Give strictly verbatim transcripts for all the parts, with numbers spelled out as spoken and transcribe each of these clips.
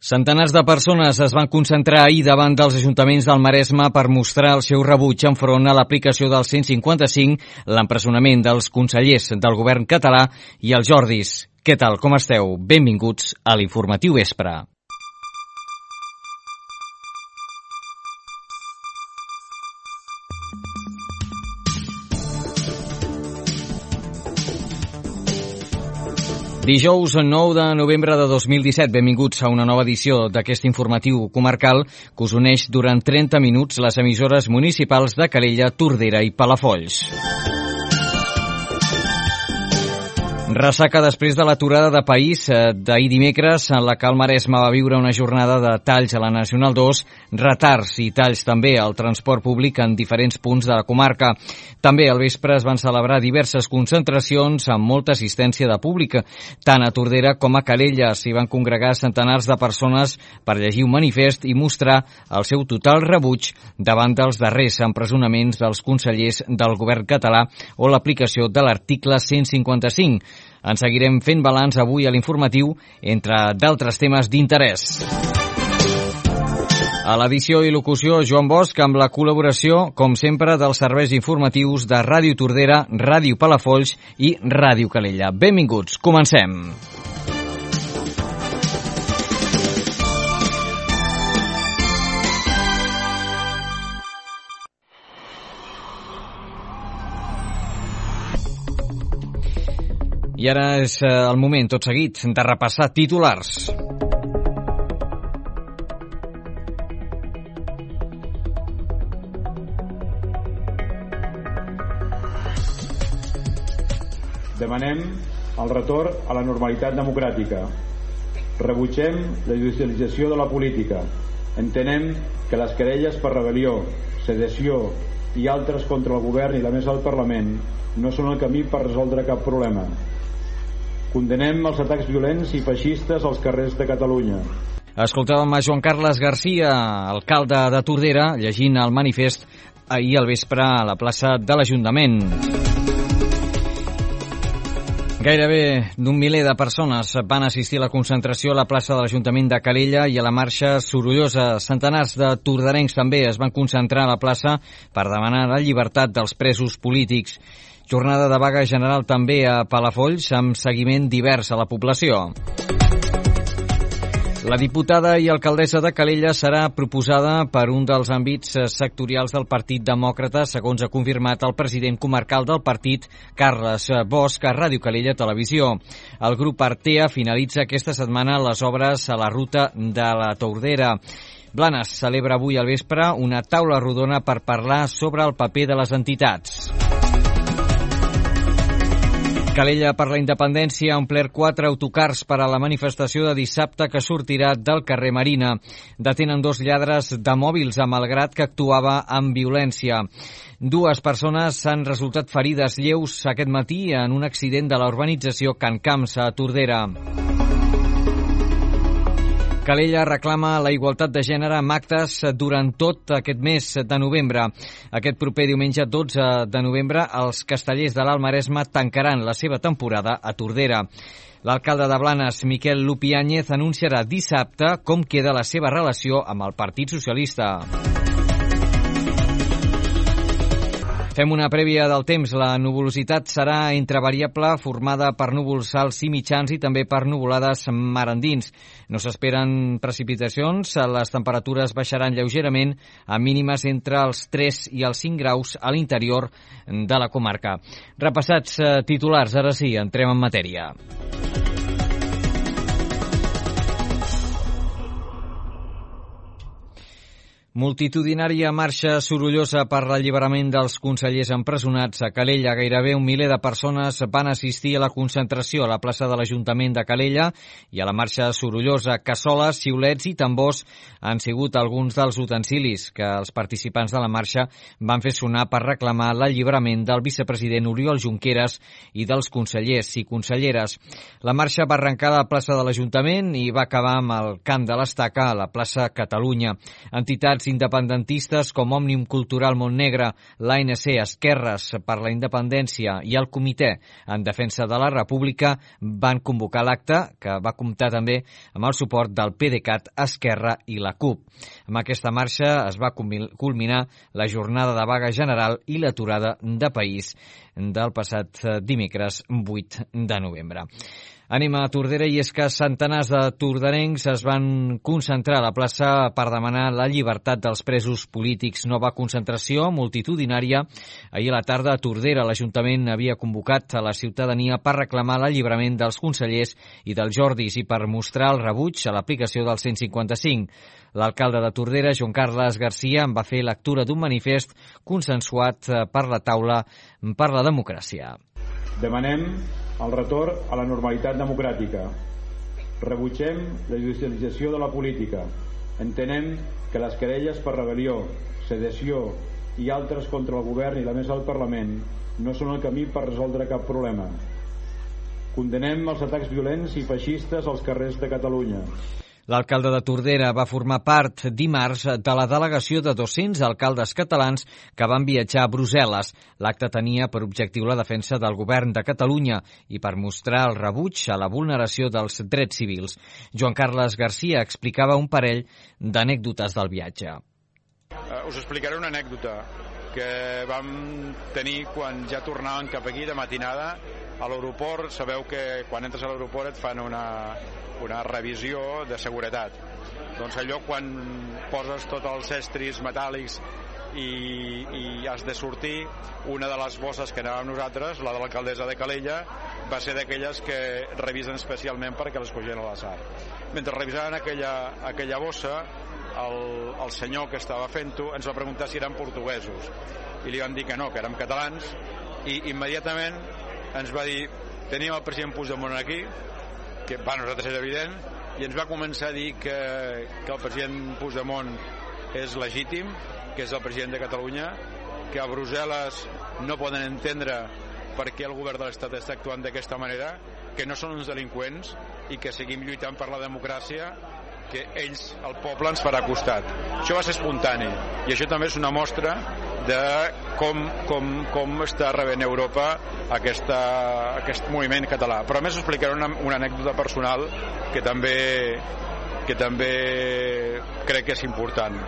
Centenars de persones es van concentrar ahir davant dels ajuntaments del Maresme per mostrar el seu rebuig enfront a l'aplicació del cent cinquanta-cinc, l'empresonament dels consellers del govern català i els Jordis. Què tal, com esteu? Benvinguts a l'Informatiu Vespre. Dijous nou de novembre de dos mil disset, benvinguts a una nova edició d'aquest informatiu comarcal que us uneix durant trenta minuts les emissores municipals de Calella, Tordera i Palafolls. Ressaca després de l'aturada de país d'ahir dimecres, en la que el Maresme va viure una jornada de talls a la Nacional dos, retards i talls també al transport públic en diferents punts de la comarca. També al vespre es van celebrar diverses concentracions amb molta assistència de públic. Tant a Tordera com a Calella s'hi van congregar centenars de persones per llegir un manifest i mostrar el seu total rebuig davant dels darrers empresonaments dels consellers del govern català o l'aplicació de l'article cent cinquanta-cinc. En seguirem fent balanç avui a l'informatiu, entre d'altres temes d'interès. A l'edició i locució, Joan Bosch, amb la col·laboració, com sempre, dels serveis informatius de Ràdio Tordera, Ràdio Palafolls i Ràdio Calella. Benvinguts, comencem. I ara és el moment, tot seguit, de repassar titulars. Demanem el retorn a la normalitat democràtica. Rebutgem la judicialització de la política. Entenem que les querelles per rebel·lió, sedició i altres contra el govern i la mesa del Parlament no són el camí per resoldre cap problema. Condenem els atacs violents i feixistes als carrers de Catalunya. Escoltàvem a Joan Carles Garcia, alcalde de Tordera, llegint el manifest ahir al vespre a la plaça de l'Ajuntament. Gairebé d'un miler de persones van assistir a la concentració a la plaça de l'Ajuntament de Calella i a la marxa sorollosa. Centenars de torderencs també es van concentrar a la plaça per demanar la llibertat dels presos polítics. Jornada de vaga general també a Palafolls, amb seguiment divers a la població. La diputada i alcaldessa de Calella serà proposada per un dels àmbits sectorials del Partit Demòcrata, segons ha confirmat el president comarcal del partit, Carles Bosch, a Ràdio Calella Televisió. El grup Artea finalitza aquesta setmana les obres a la ruta de la Tordera. Blanes celebra avui al vespre una taula rodona per parlar sobre el paper de les entitats. Calella per la Independència ha omplert quatre autocars per a la manifestació de dissabte que sortirà del carrer Marina. Detenen dos lladres de mòbils a Malgrat que actuava amb violència. Dues persones han resultat ferides lleus aquest matí en un accident de la urbanització Can Camps a Tordera. Calella reclama la igualtat de gènere amb actes durant tot aquest mes de novembre. Aquest proper diumenge dotze de novembre, els castellers de l'Alt Maresme tancaran la seva temporada a Tordera. L'alcalde de Blanes, Miquel Lupiáñez, anunciarà dissabte com queda la seva relació amb el Partit Socialista. Fem una prèvia del temps. La nuvolositat serà entre variable, formada per núvols alts i mitjans i també per nuvolades mar endins. No s'esperen precipitacions, les temperatures baixaran lleugerament a mínimes entre els tres i els cinc graus a l'interior de la comarca. Repassats titulars, ara sí, entrem en matèria. Multitudinària marxa sorollosa per l'alliberament dels consellers empresonats a Calella. Gairebé un miler de persones van assistir a la concentració a la plaça de l'Ajuntament de Calella i a la marxa sorollosa. Cassoles, xiulets i tambors han sigut alguns dels utensilis que els participants de la marxa van fer sonar per reclamar l'alliberament del vicepresident Oriol Junqueras i dels consellers i conselleres. La marxa va arrencar a la plaça de l'Ajuntament i va acabar amb el cant de l'estaca a la plaça Catalunya. Entitats Entitats independentistes com Òmnium Cultural Montnegre, l'A N C, Esquerres per la Independència i el Comitè en Defensa de la República van convocar l'acte, que va comptar també amb el suport del PDeCAT, Esquerra i la CUP. Amb aquesta marxa es va culminar la jornada de vaga general i l'aturada de país del passat dimecres vuit de novembre. Anem a Tordera, i és que centenars de torderencs es van concentrar a la plaça per demanar la llibertat dels presos polítics. Nova concentració multitudinària. Ahir a la tarda a Tordera l'Ajuntament havia convocat a la ciutadania per reclamar l'alliberament dels consellers i dels Jordis i per mostrar el rebuig a l'aplicació del cent cinquanta-cinc. L'alcalde de Tordera, Joan Carles Garcia, en va fer lectura d'un manifest consensuat per la taula per la democràcia. Demanem el retorn a la normalitat democràtica. Rebutgem la judicialització de la política. Entenem que les querelles per rebel·lió, sedició i altres contra el govern i la mesa del Parlament no són el camí per resoldre cap problema. Condenem els atacs violents i feixistes als carrers de Catalunya. L'alcalde de Tordera va formar part dimarts de la delegació de dos-cents alcaldes catalans que van viatjar a Brussel·les. L'acte tenia per objectiu la defensa del govern de Catalunya i per mostrar el rebuig a la vulneració dels drets civils. Joan Carles Garcia explicava un parell d'anècdotes del viatge. Uh, us explicaré una anècdota que vam tenir quan ja tornàvem cap aquí de matinada a l'aeroport. Sabeu que quan entres a l'aeroport et fan una, una revisió de seguretat. Doncs allò quan poses tots els estris metàl·lics i, i has de sortir, una de les bosses que anàvem nosaltres, la de l'alcaldessa de Calella, va ser d'aquelles que revisen especialment perquè les cogien a l'atzar. Mentre revisaven aquella, aquella bossa, el, el senyor que estava fent-ho ens va preguntar si eren portuguesos i li van dir que no, que érem catalans, i immediatament ens va dir: tenim el president Puigdemont aquí, que per nosaltres és evident, i ens va començar a dir que, que el president Puigdemont és legítim, que és el president de Catalunya, que a Brussel·les no poden entendre per què el govern de l'Estat està actuant d'aquesta manera, que no són uns delinqüents i que seguim lluitant per la democràcia, que ells, el poble, ens farà costat. Això va ser espontani i això també és una mostra de com, com, com està rebent Europa aquesta, aquest moviment català. Però a més us explicaré una, una anècdota personal que també, que també crec que és important.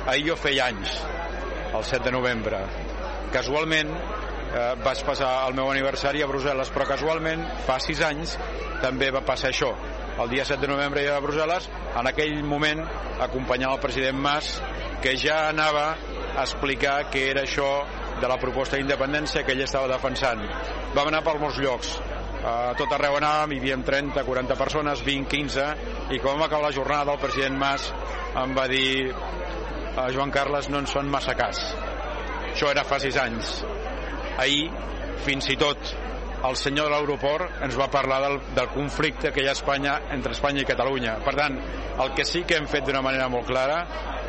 Ahir jo feia anys, el set de novembre. Casualment eh, vaig passar el meu aniversari a Brussel·les, però casualment fa sis anys també va passar això. El dia set de novembre a Brussel·les, en aquell moment acompanyant el president Mas, que ja anava a explicar què era això de la proposta d'independència que ell estava defensant. Vam anar per molts llocs, a tot arreu anàvem, hi havia trenta, quaranta persones, vint, quinze, i quan vam acabar la jornada el president Mas em va dir: Joan Carles, no ens fan massa cas. Això era fa sis anys. Ahir, fins i tot, el senyor de l'aeroport ens va parlar del, del conflicte que hi ha a Espanya, entre Espanya i Catalunya. Per tant, el que sí que hem fet d'una manera molt clara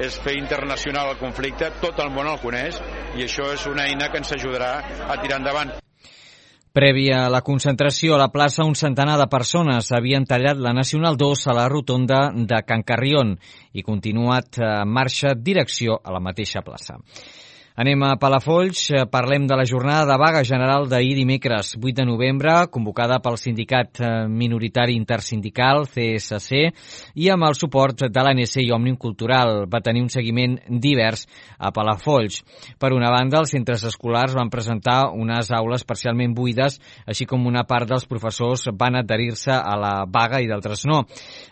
és fer internacional el conflicte, tot el món el coneix, i això és una eina que ens ajudarà a tirar endavant. Prèvia a la concentració a la plaça, un centenar de persones havien tallat la Nacional dos a la rotonda de Can Carrión i continuat en marxa direcció a la mateixa plaça. Anem a Palafolls, parlem de la jornada de vaga general d'ahir dimecres vuit de novembre, convocada pel sindicat minoritari intersindical C S C i amb el suport de l'A N C i Òmnium Cultural. Va tenir un seguiment divers a Palafolls. Per una banda, els centres escolars van presentar unes aules parcialment buides, així com una part dels professors van adherir-se a la vaga i d'altres no.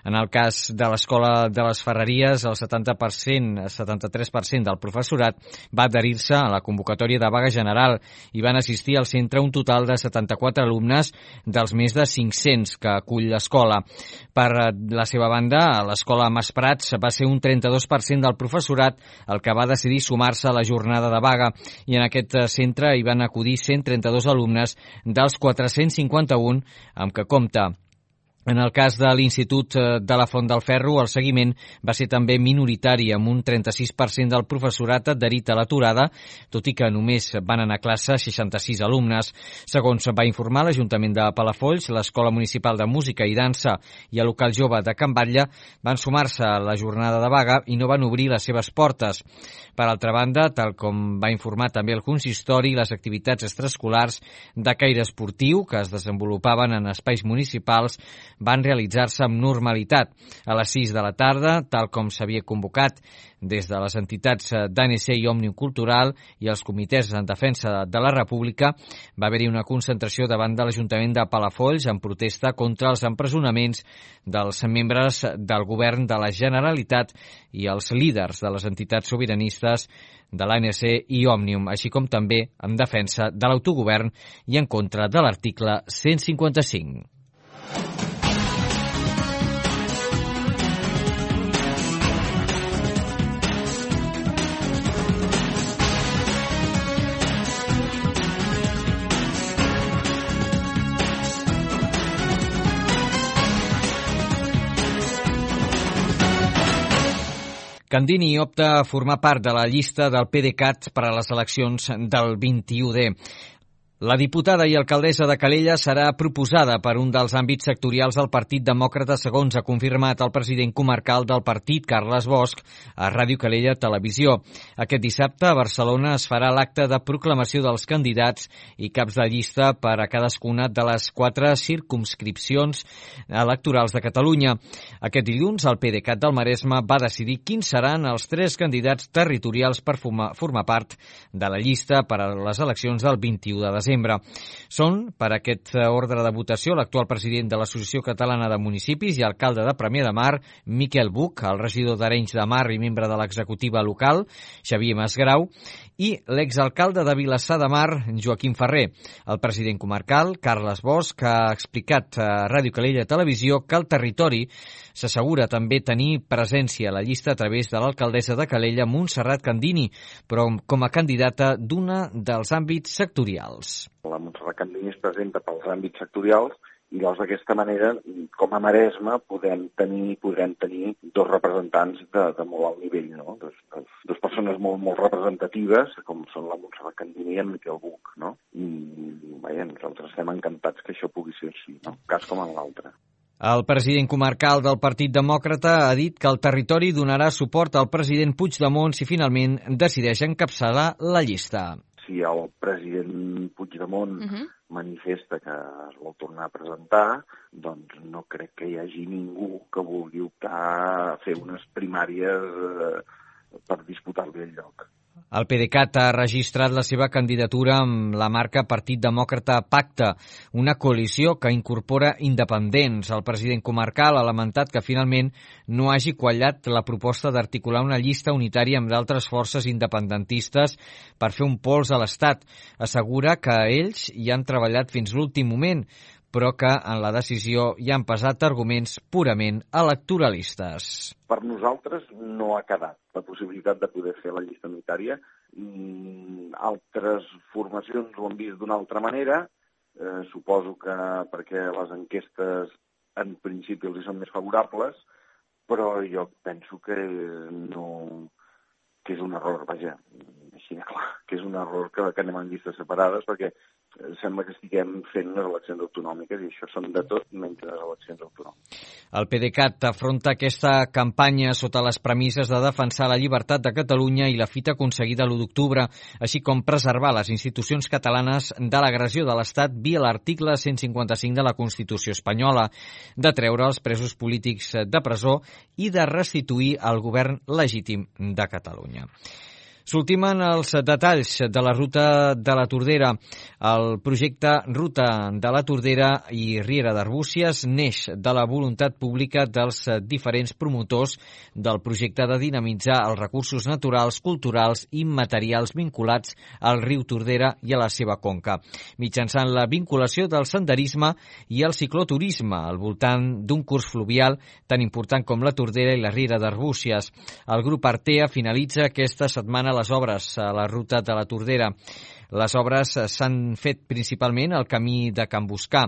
En el cas de l'Escola de les Ferreries, el setanta per cent, setanta-tres per cent del professorat va adherir a la convocatòria de vaga general i van assistir al centre un total de setanta-quatre alumnes dels més de cinc-cents que acull l'escola. Per la seva banda, a l'escola Mas Prats va ser un trenta-dos per cent del professorat el que va decidir sumar-se a la jornada de vaga i en aquest centre hi van acudir cent trenta-dos alumnes dels quatre-cents cinquanta-un amb què compta. En el cas de l'Institut de la Font del Ferro, el seguiment va ser també minoritari, amb un trenta-sis per cent del professorat adherit a l'aturada, tot i que només van anar a classe seixanta-sis alumnes. Segons va informar l'Ajuntament de Palafolls, l'Escola Municipal de Música i Dansa i el Local Jove de Can Batlle van sumar-se a la jornada de vaga i no van obrir les seves portes. Per altra banda, tal com va informar també el consistori, les activitats extraescolars de caire esportiu que es desenvolupaven en espais municipals van realitzar-se amb normalitat. A les sis de la tarda, tal com s'havia convocat des de les entitats d'A N C i Òmnium Cultural i els comitès en defensa de la República, va haver-hi una concentració davant de l'Ajuntament de Palafolls en protesta contra els empresonaments dels membres del govern de la Generalitat i els líders de les entitats sobiranistes de l'A N C i Òmnium, així com també en defensa de l'autogovern i en contra de l'article cent cinquanta-cinc. Candini opta a formar part de la llista del PDeCAT per a les eleccions del vint-i-u D. La diputada i alcaldessa de Calella serà proposada per un dels àmbits sectorials del Partit Demòcrata, segons ha confirmat el president comarcal del partit, Carles Bosch, a Ràdio Calella Televisió. Aquest dissabte a Barcelona es farà l'acte de proclamació dels candidats i caps de llista per a cadascuna de les quatre circumscripcions electorals de Catalunya. Aquest dilluns, el PDeCAT del Maresme va decidir quins seran els tres candidats territorials per formar, formar part de la llista per a les eleccions del vint-i-u de desembre. Són, per aquest ordre de votació, l'actual president de l'Associació Catalana de Municipis i alcalde de Premià de Mar, Miquel Buch, el regidor d'Arenys de Mar i membre de l'executiva local, Xavier Masgrau, i l'exalcalde de Vilassar de Mar, Joaquim Ferrer. El president comarcal, Carles Bosch, ha explicat a Ràdio Calella Televisió que el territori s'assegura també tenir presència a la llista a través de l'alcaldessa de Calella, Montserrat Candini, però com a candidata d'una dels àmbits sectorials. La Montserrat Candini es presenta pels àmbits sectorials i llavors d'aquesta manera, com a Maresme, podem tenir, podrem tenir dos representants de, de molt alt nivell, no? Dos, dos, dos persones molt, molt representatives, com són la Montserrat Candini i en Miquel Buch, no? I, vaja, nosaltres estem encantats que això pugui ser així, no? Cas com en l'altre. El president comarcal del Partit Demòcrata ha dit que el territori donarà suport al president Puigdemont si finalment decideix encapçalar la llista. Si el president Puigdemont uh-huh. manifesta que es vol tornar a presentar, doncs no crec que hi hagi ningú que vulgui optar a fer unes primàries eh, per disputar-li el lloc. El PDeCAT ha registrat la seva candidatura amb la marca Partit Demòcrata Pacte, una coalició que incorpora independents. El president comarcal ha lamentat que finalment no hagi quallat la proposta d'articular una llista unitària amb d'altres forces independentistes per fer un pols a l'Estat. Assegura que ells hi han treballat fins l'últim moment, però que en la decisió hi han pesat arguments purament electoralistes. Per nosaltres no ha quedat la possibilitat de poder fer la llista unitària. Mm, altres formacions ho han vist d'una altra manera. Eh, suposo que perquè les enquestes en principi els hi són més favorables, però jo penso que no, que és un error, vaja, així de clar, que és un error que, que anem en llistes separades, perquè sembla que estiguem fent unes eleccions autonòmiques i això són de tot menys les eleccions autonòmiques. El PDeCAT afronta aquesta campanya sota les premisses de defensar la llibertat de Catalunya i la fita aconseguida l'u d'octubre, així com preservar les institucions catalanes de l'agressió de l'Estat via l'article cent cinquanta-cinc de la Constitució espanyola, de treure els presos polítics de presó i de restituir el govern legítim de Catalunya. S'ultimen els detalls de la ruta de la Tordera. El projecte Ruta de la Tordera i Riera d'Arbúcies neix de la voluntat pública dels diferents promotors del projecte de dinamitzar els recursos naturals, culturals i materials vinculats al riu Tordera i a la seva conca, mitjançant la vinculació del senderisme i el cicloturisme al voltant d'un curs fluvial tan important com la Tordera i la Riera d'Arbúcies. El grup Artea finalitza aquesta setmana les obres a la ruta de la Tordera. Les obres s'han fet principalment al camí de Can Buscar.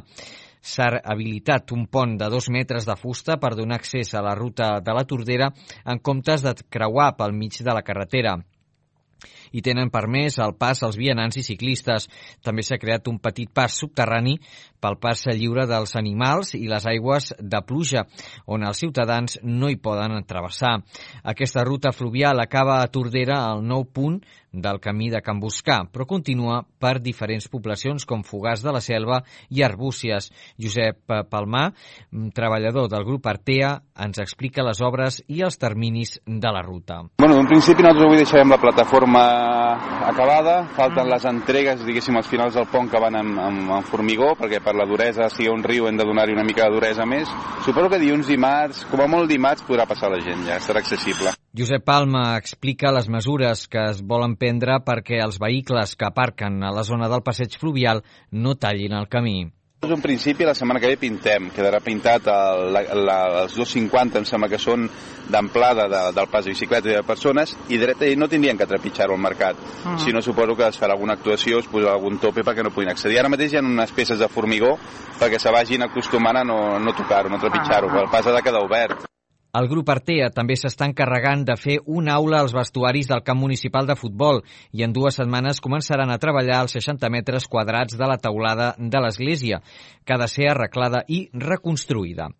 s'ha habilitat un pont de dos metres de fusta per donar accés a la ruta de la Tordera en comptes de creuar pel mig de la carretera. I tenen permès el pas als vianants i ciclistes. També s'ha creat un petit pas subterrani pel pas lliure dels animals i les aigües de pluja, on els ciutadans no hi poden travessar. Aquesta ruta fluvial acaba a Tordera al nou punt del camí de Can Buscar, però continua per diferents poblacions com Fogars de la Selva i Arbúcies. Josep Palmar, treballador del grup Artea, ens explica les obres i els terminis de la ruta. Bueno, en principi nosaltres avui deixarem la plataforma acabada, falten les entregues, diguéssim, als finals del pont que van amb, amb, amb formigó, perquè per la duresa, si hi ha un riu hem de donar-hi una mica de duresa més. Suposo que dilluns, dimarts, com a molt dimarts, podrà passar la gent, ja estarà accessible. Josep Palma explica les mesures que es volen prendre perquè els vehicles que aparquen a la zona del passeig fluvial no tallin el camí. En principi, la setmana que ve pintem. Quedarà pintat el, la, la, els dos cinquanta, em sembla que són d'amplada de, del pas de bicicletes i de persones, i dreta, i no tindrien que trepitjar-ho al mercat. Uh-huh. Si no, suposo que es farà alguna actuació, es posarà algun tope perquè no puguin accedir. Ara mateix hi ha unes peces de formigó perquè se vagin acostumant a no, no tocar-ho, no trepitjar-ho, uh-huh. El pas ha de quedar obert. El grup Artea també s'està encarregant de fer una aula als vestuaris del camp municipal de futbol i en dues setmanes començaran a treballar els seixanta metres quadrats de la teulada de l'església, que ha de ser arreglada i reconstruïda.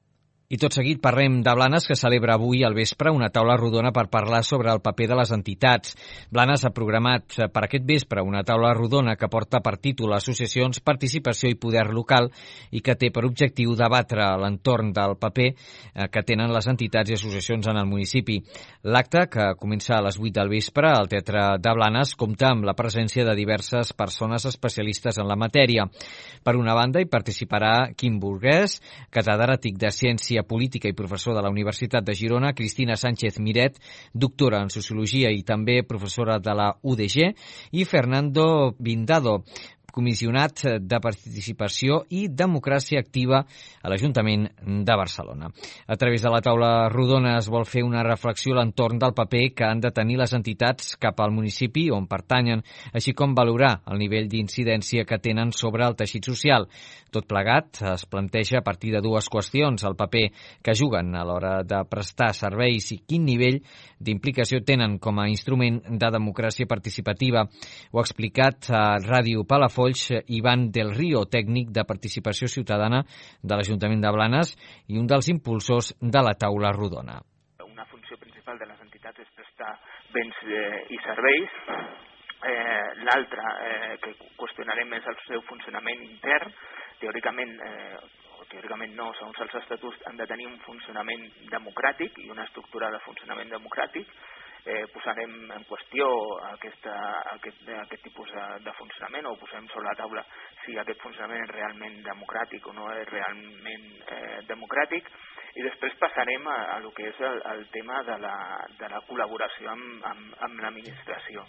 I tot seguit parlem de Blanes, que celebra avui al vespre una taula rodona per parlar sobre el paper de les entitats. Blanes ha programat per aquest vespre una taula rodona que porta per títol Associacions, Participació i Poder Local i que té per objectiu debatre l'entorn del paper que tenen les entitats i associacions en el municipi. L'acte, que comença a les vuit del vespre al Teatre de Blanes, compta amb la presència de diverses persones especialistes en la matèria. Per una banda, hi participarà Quim Burguès, catedràtic de Ciència Política i professor de la Universitat de Girona, Cristina Sánchez Miret, doctora en Sociologia i també professora de la U D G, i Fernando Vindado, comissionat de Participació i Democràcia Activa a l'Ajuntament de Barcelona. A través de la taula rodona es vol fer una reflexió a l'entorn del paper que han de tenir les entitats cap al municipi on pertanyen, així com valorar el nivell d'incidència que tenen sobre el teixit social. Tot plegat es planteja a partir de dues qüestions: el paper que juguen a l'hora de prestar serveis i quin nivell d'implicació tenen com a instrument de democràcia participativa. Ho ha explicat a Ràdio Palafolls Ivan del Río, tècnic de Participació Ciutadana de l'Ajuntament de Blanes i un dels impulsors de la taula rodona. Una funció principal de les entitats és prestar béns eh, i serveis. Eh, L'altra, eh, que qüestionarem, és el seu funcionament intern. Teòricament, eh, o teòricament no, segons els estatuts, han de tenir un funcionament democràtic i una estructura de funcionament democràtic. Eh, posarem en qüestió aquesta, aquest, aquest tipus de, de funcionament, o posarem sobre la taula si aquest funcionament és realment democràtic o no és realment eh, democràtic, i després passarem a, a lo que és el, el tema de la, de la col·laboració amb, amb, amb l'administració.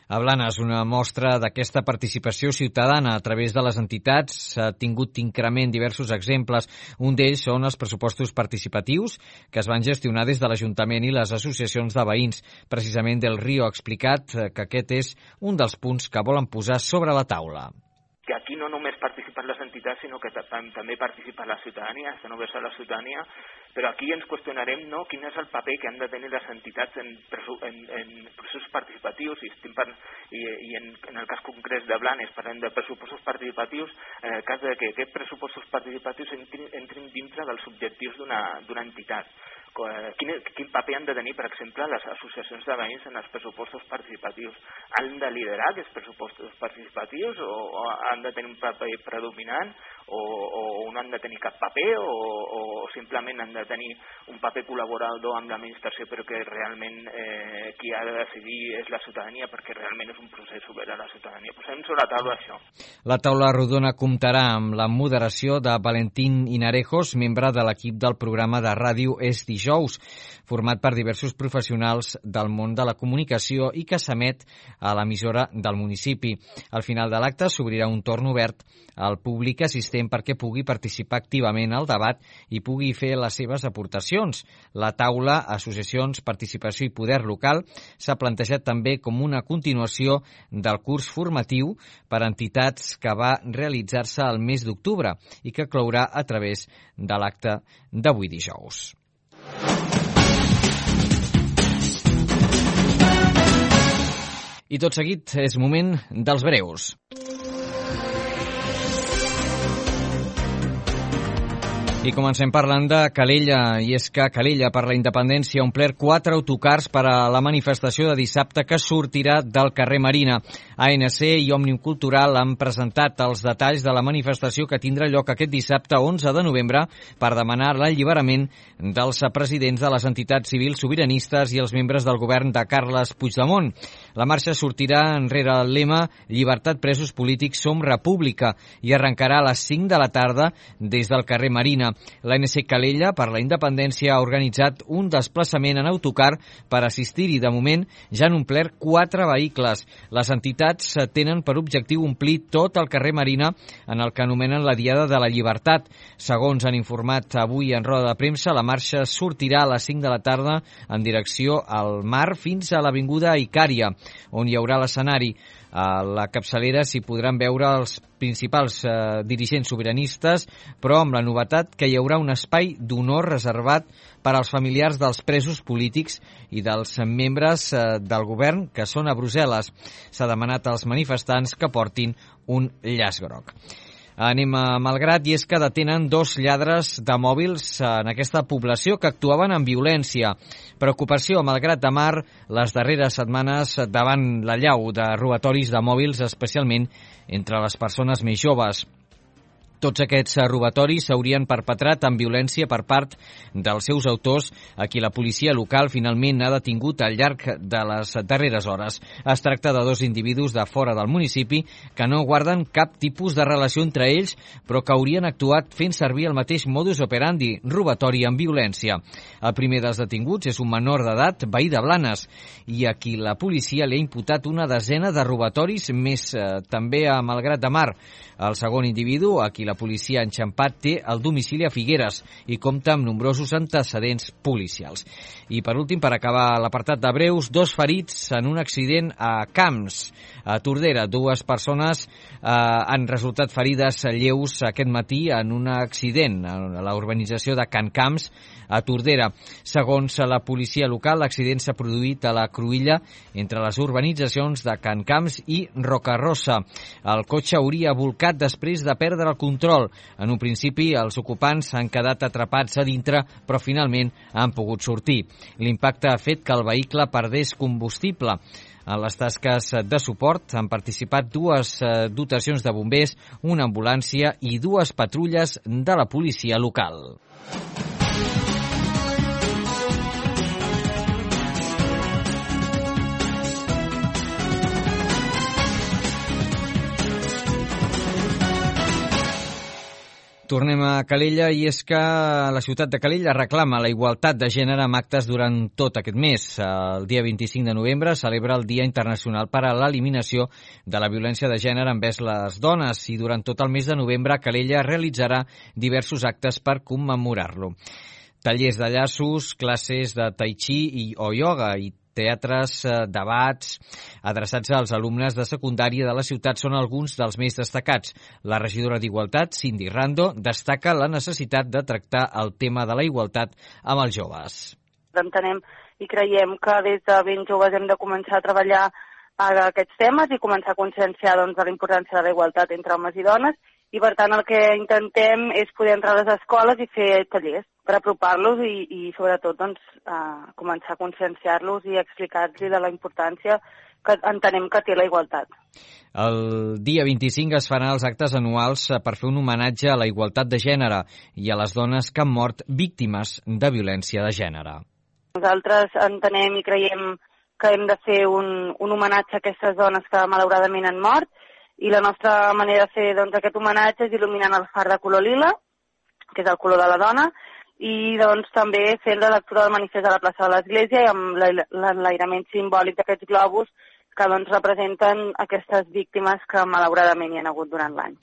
A Blanes, una mostra d'aquesta participació ciutadana a través de les entitats ha tingut increment diversos exemples. Un d'ells són els pressupostos participatius que es van gestionar des de l'Ajuntament i les associacions de veïns. Precisament Del Río ha explicat que aquest és un dels punts que volen posar sobre la taula. Que aquí no només participen les entitats, sinó que també participa la ciutadania, està només a la ciutadania, però aquí ens qüestionarem, no, quin és el paper que han de tenir les entitats en, en, en processos participatius, i, estem per, i, i en, en el cas concret de Blanes parlem de pressupostos participatius, en el cas de que aquests pressupostos participatius entrin, entrin dintre dels objectius d'una entitat. Quin, quin paper han de tenir, per exemple, les associacions de veïns en els pressupostos participatius? Han de liderar aquests pressupostos participatius o, o han de tenir un paper predominant o, o no han de tenir cap paper o, o simplement han de tenir un paper col·laborador amb l'administració però que realment eh, qui ha de decidir és la ciutadania perquè realment és un procés obert a la ciutadania? Posem sobre la taula això. La taula rodona comptarà amb la moderació de Valentín Hinarejos, membre de l'equip del programa de ràdio Es Dijous. dijous, format per diversos professionals del món de la comunicació i que s'emet a l'emissora del municipi. Al final de l'acte s'obrirà un torn obert al públic assistent perquè pugui participar activament al debat i pugui fer les seves aportacions. La taula Associacions, Participació i Poder Local s'ha plantejat també com una continuació del curs formatiu per a entitats que va realitzar-se el mes d'octubre i que clourà a través de l'acte d'avui dijous. I tot seguit és moment dels breus. I comencem parlant de Calella, i és que Calella per la Independència ha omplert quatre autocars per a la manifestació de dissabte que sortirà del carrer Marina. A N C i Òmnium Cultural han presentat els detalls de la manifestació que tindrà lloc aquest dissabte onze de novembre per demanar l'alliberament dels presidents de les entitats civils sobiranistes i els membres del govern de Carles Puigdemont. La marxa sortirà enrere el lema Llibertat presos polítics, som república i arrencarà a les cinc de la tarda des del carrer Marina. L'A N C Calella per la Independència ha organitzat un desplaçament en autocar per assistir-hi. De moment ja han omplert quatre vehicles. Les entitats tenen per objectiu omplir tot el carrer Marina en el que anomenen la Diada de la Llibertat. Segons han informat avui en roda de premsa, la marxa sortirà a les cinc de la tarda en direcció al mar fins a l'avinguda Icària, on hi haurà l'escenari. A la capçalera s'hi podran veure els principals eh, dirigents sobiranistes, però amb la novetat que hi haurà un espai d'honor reservat per als familiars dels presos polítics i dels membres eh, del govern que són a Brussel·les. S'ha demanat als manifestants que portin un llaç groc. Anem a Malgrat, i és que detenen dos lladres de mòbils en aquesta població que actuaven amb violència. Preocupació a Malgrat de Mar les darreres setmanes davant l'allau de robatoris de mòbils, especialment entre les persones més joves. Tots aquests robatoris s'haurien perpetrat amb violència per part dels seus autors, a qui la policia local finalment ha detingut al llarg de les darreres hores. Es tracta de dos individus de fora del municipi que no guarden cap tipus de relació entre ells, però que haurien actuat fent servir el mateix modus operandi, robatori amb violència. El primer dels detinguts és un menor d'edat, veí de Blanes, i a qui la policia li ha imputat una desena de robatoris, més eh, també a Malgrat de Mar. El segon individu, a qui la policia ha enxampat, té el domicili a Figueres i compta amb nombrosos antecedents policials. I per últim, per acabar l'apartat de breus, dos ferits en un accident a Camps, a Tordera. Dues persones eh, han resultat ferides lleus aquest matí en un accident a la urbanització de Can Camps, a Tordera. Segons la policia local, l'accident s'ha produït a la cruïlla entre les urbanitzacions de Can Camps i Rocarosa. El cotxe hauria volcat després de perdre el control. En un principi, els ocupants han quedat atrapats a dintre, però finalment han pogut sortir. L'impacte ha fet que el vehicle perdés combustible. En les tasques de suport han participat dues dotacions de bombers, una ambulància i dues patrulles de la policia local. Tornem a Calella, i és que la ciutat de Calella reclama la igualtat de gènere amb actes durant tot aquest mes. El dia vint-i-cinc de novembre celebra el Dia Internacional per a l'Eliminació de la Violència de Gènere envers les dones, i durant tot el mes de novembre Calella realitzarà diversos actes per commemorar-lo. Tallers de llaços, classes de tai chi i, o ioga i teatres, debats adreçats als alumnes de secundària de la ciutat són alguns dels més destacats. La regidora d'Igualtat, Cindy Rando, destaca la necessitat de tractar el tema de la igualtat amb els joves. Entenem i creiem que des de ben joves hem de començar a treballar aquests temes i començar a conscienciar doncs, de la importància de la igualtat entre homes i dones, i per tant el que intentem és poder entrar a les escoles i fer tallers per apropar-los i, i sobretot doncs, a començar a conscienciar-los i explicar-los de la importància que entenem que té la igualtat. El dia vint-i-cinc es faran els actes anuals per fer un homenatge a la igualtat de gènere i a les dones que han mort víctimes de violència de gènere. Nosaltres entenem i creiem que hem de fer un, un homenatge a aquestes dones que malauradament han mort, i la nostra manera de fer doncs, aquest homenatge és il·luminant el far de color lila, que és el color de la dona, i doncs també fent la lectura del manifest a la plaça de l'Església i amb l'enlairament simbòlic d'aquests globus que doncs representen aquestes víctimes que malauradament hi ha hagut durant l'any.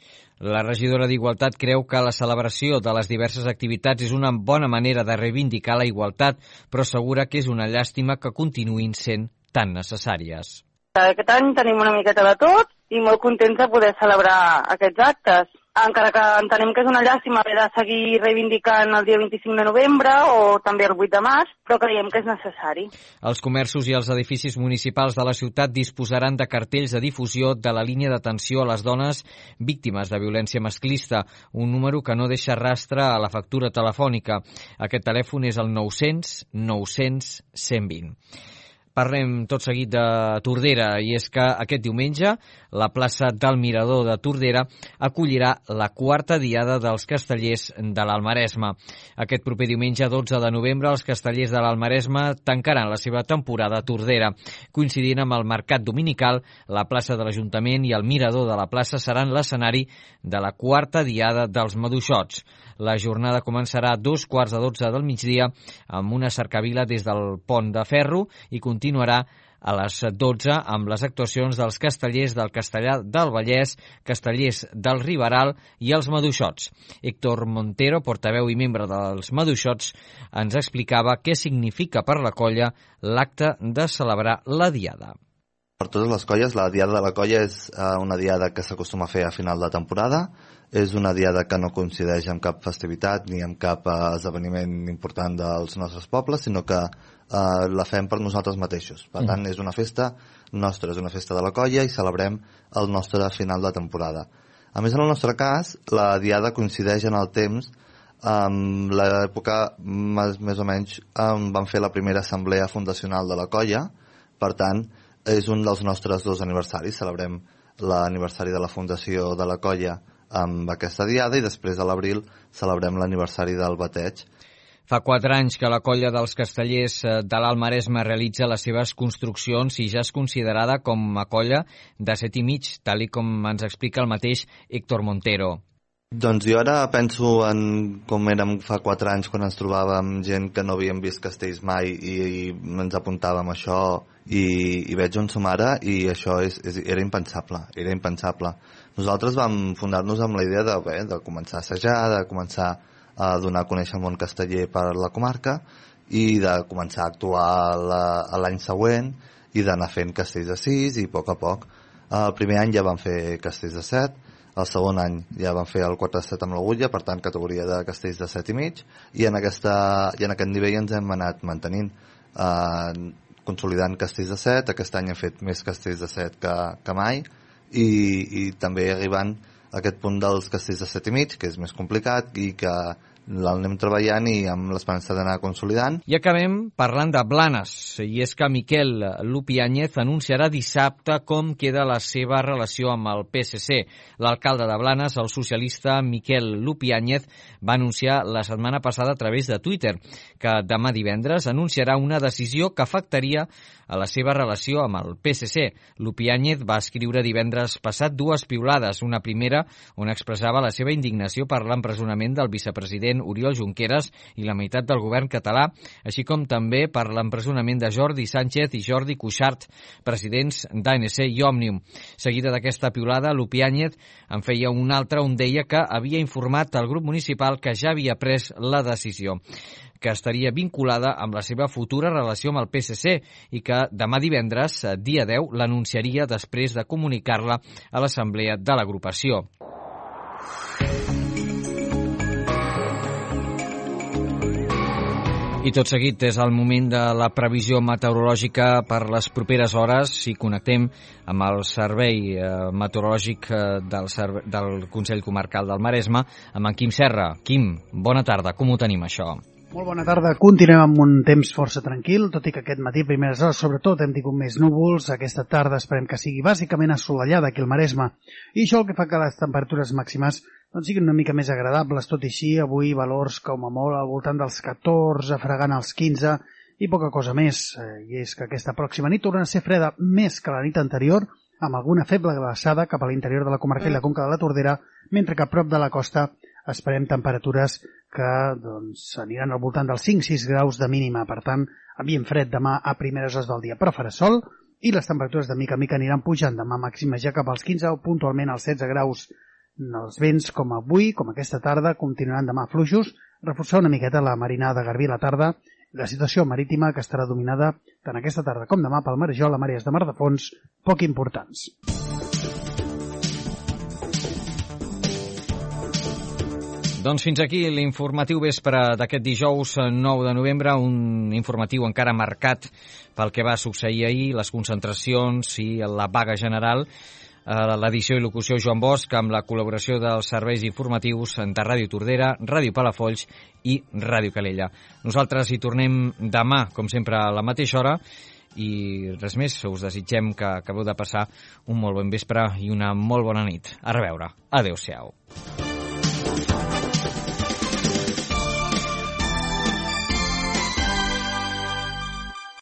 La regidora d'Igualtat creu que la celebració de les diverses activitats és una bona manera de reivindicar la igualtat, però assegura que és una llàstima que continuïn sent tan necessàries. Aquest any tenim una miqueta de tot i molt contents de poder celebrar aquests actes. Encara que entenem que és una llàstima haver de seguir reivindicant el dia vint-i-cinc de novembre o també el vuit de març, però creiem que és necessari. Els comerços i els edificis municipals de la ciutat disposaran de cartells de difusió de la línia d'atenció a les dones víctimes de violència masclista, un número que no deixa rastre a la factura telefònica. Aquest telèfon és el nou-cents nou-cents cent vint. Parlem tot seguit de Tordera, i és que aquest diumenge la plaça del Mirador de Tordera acollirà la quarta diada dels castellers de l'Almaresme. Aquest proper diumenge, dotze de novembre, els castellers de l'Almaresme tancaran la seva temporada a Tordera. Coincidint amb el mercat dominical, la plaça de l'Ajuntament i el Mirador de la plaça seran l'escenari de la quarta diada dels Maduixots. La jornada començarà a dos quarts de dotze del migdia amb una cercavila des del Pont de Ferro i continuarà a les dotze amb les actuacions dels castellers del Castellar del Vallès, castellers del Riberal i els Maduixots. Héctor Montero, portaveu i membre dels Maduixots, ens explicava què significa per la colla l'acte de celebrar la diada. Per totes les colles, la diada de la colla és una diada que s'acostuma a fer a final de temporada. És una diada que no coincideix amb cap festivitat ni amb cap esdeveniment important dels nostres pobles, sinó que eh, la fem per nosaltres mateixos. Per tant, és una festa nostra, és una festa de la colla i celebrem el nostre final de temporada. A més, en el nostre cas, la diada coincideix en el temps amb l'època, més, més o menys, on vam fer la primera assemblea fundacional de la colla. Per tant, és un dels nostres dos aniversaris. Celebrem l'aniversari de la fundació de la colla amb aquesta diada i després a l'abril celebrem l'aniversari del bateig. Fa quatre anys que la colla dels castellers de l'Almaresme realitza les seves construccions i ja és considerada com a colla de set i mig, tal i com ens explica el mateix Héctor Montero. Doncs jo ara penso en com érem fa quatre anys quan ens trobàvem gent que no havíem vist castells mai i, i ens apuntàvem a això i, i veig on som ara i això és, és, era impensable, era impensable. Nosaltres vam fundar-nos amb la idea de, bé, de començar a assajar, de començar a donar a conèixer el món casteller per la comarca i de començar a actuar l'any següent i d'anar fent castells de sis i a poc a poc. El primer any ja vam fer castells de set, el segon any ja vam fer el quatre set amb l'agulla, per tant categoria de castells de set i mig, i en, aquesta, i en aquest nivell ens hem anat mantenint, eh, consolidant castells de set. Aquest any hem fet més castells de set que, que mai, i, i també arribant a aquest punt dels castells de set i mig, que és més complicat i que l'anem treballant i amb l'esperança d'anar consolidant. I acabem parlant de Blanes, i és que Miquel Lupiáñez anunciarà dissabte com queda la seva relació amb el P S C. L'alcalde de Blanes, el socialista Miquel Lupiáñez, va anunciar la setmana passada a través de Twitter que demà divendres anunciarà una decisió que afectaria a la seva relació amb el P S C. Lupiáñez va escriure divendres passat dues piulades, una primera on expressava la seva indignació per l'empresonament del vicepresident Oriol Junqueras i la meitat del govern català, així com també per l'empresonament de Jordi Sánchez i Jordi Cuixart, presidents d'A N C i Òmnium. Seguida d'aquesta piulada, Lupiáñez en feia una altra on deia que havia informat al grup municipal que ja havia pres la decisió, que estaria vinculada amb la seva futura relació amb el P S C i que demà divendres, dia deu, l'anunciaria després de comunicar-la a l'assemblea de l'agrupació. I tot seguit és el moment de la previsió meteorològica per les properes hores i connectem amb el servei meteorològic del, del Consell Comarcal del Maresme, amb en Quim Serra. Quim, bona tarda, com ho tenim això? Molt bona tarda. Continuem amb un temps força tranquil, tot i que aquest matí, primeres hores, sobretot, hem tingut més núvols. Aquesta tarda esperem que sigui bàsicament assolellada aquí al Maresme. I això el que fa que les temperatures màximes doncs, siguin una mica més agradables. Tot i així, avui valors com a molt al voltant dels catorze, fregant els quinze i poca cosa més. I és que aquesta pròxima nit torna a ser freda més que la nit anterior, amb alguna feble glaçada cap a l'interior de la comarca i la conca de la Tordera, mentre que a prop de la costa esperem temperatures que doncs, aniran al voltant dels cinc sis graus de mínima. Per tant, ambient fred demà a primeres hores del dia, però farà sol i les temperatures de mica en mica aniran pujant. Demà màximes ja cap als quinze o puntualment als setze graus. Els vents, com avui, com aquesta tarda, continuaran demà fluixos, reforçar una miqueta la marina de Garbí a la tarda, la situació marítima que estarà dominada tant aquesta tarda com demà pel marejol a màrees de mar de fons poc importants. Doncs fins aquí l'informatiu vespre d'aquest dijous nou de novembre, un informatiu encara marcat pel que va succeir ahir, les concentracions i la vaga general. L'edició i locució Joan Bosch, amb la col·laboració dels serveis informatius de Ràdio Tordera, Ràdio Palafolls i Ràdio Calella. Nosaltres hi tornem demà, com sempre, a la mateixa hora, i res més, us desitgem que acabeu de passar un molt bon vespre i una molt bona nit. A reveure. Adéu-siau.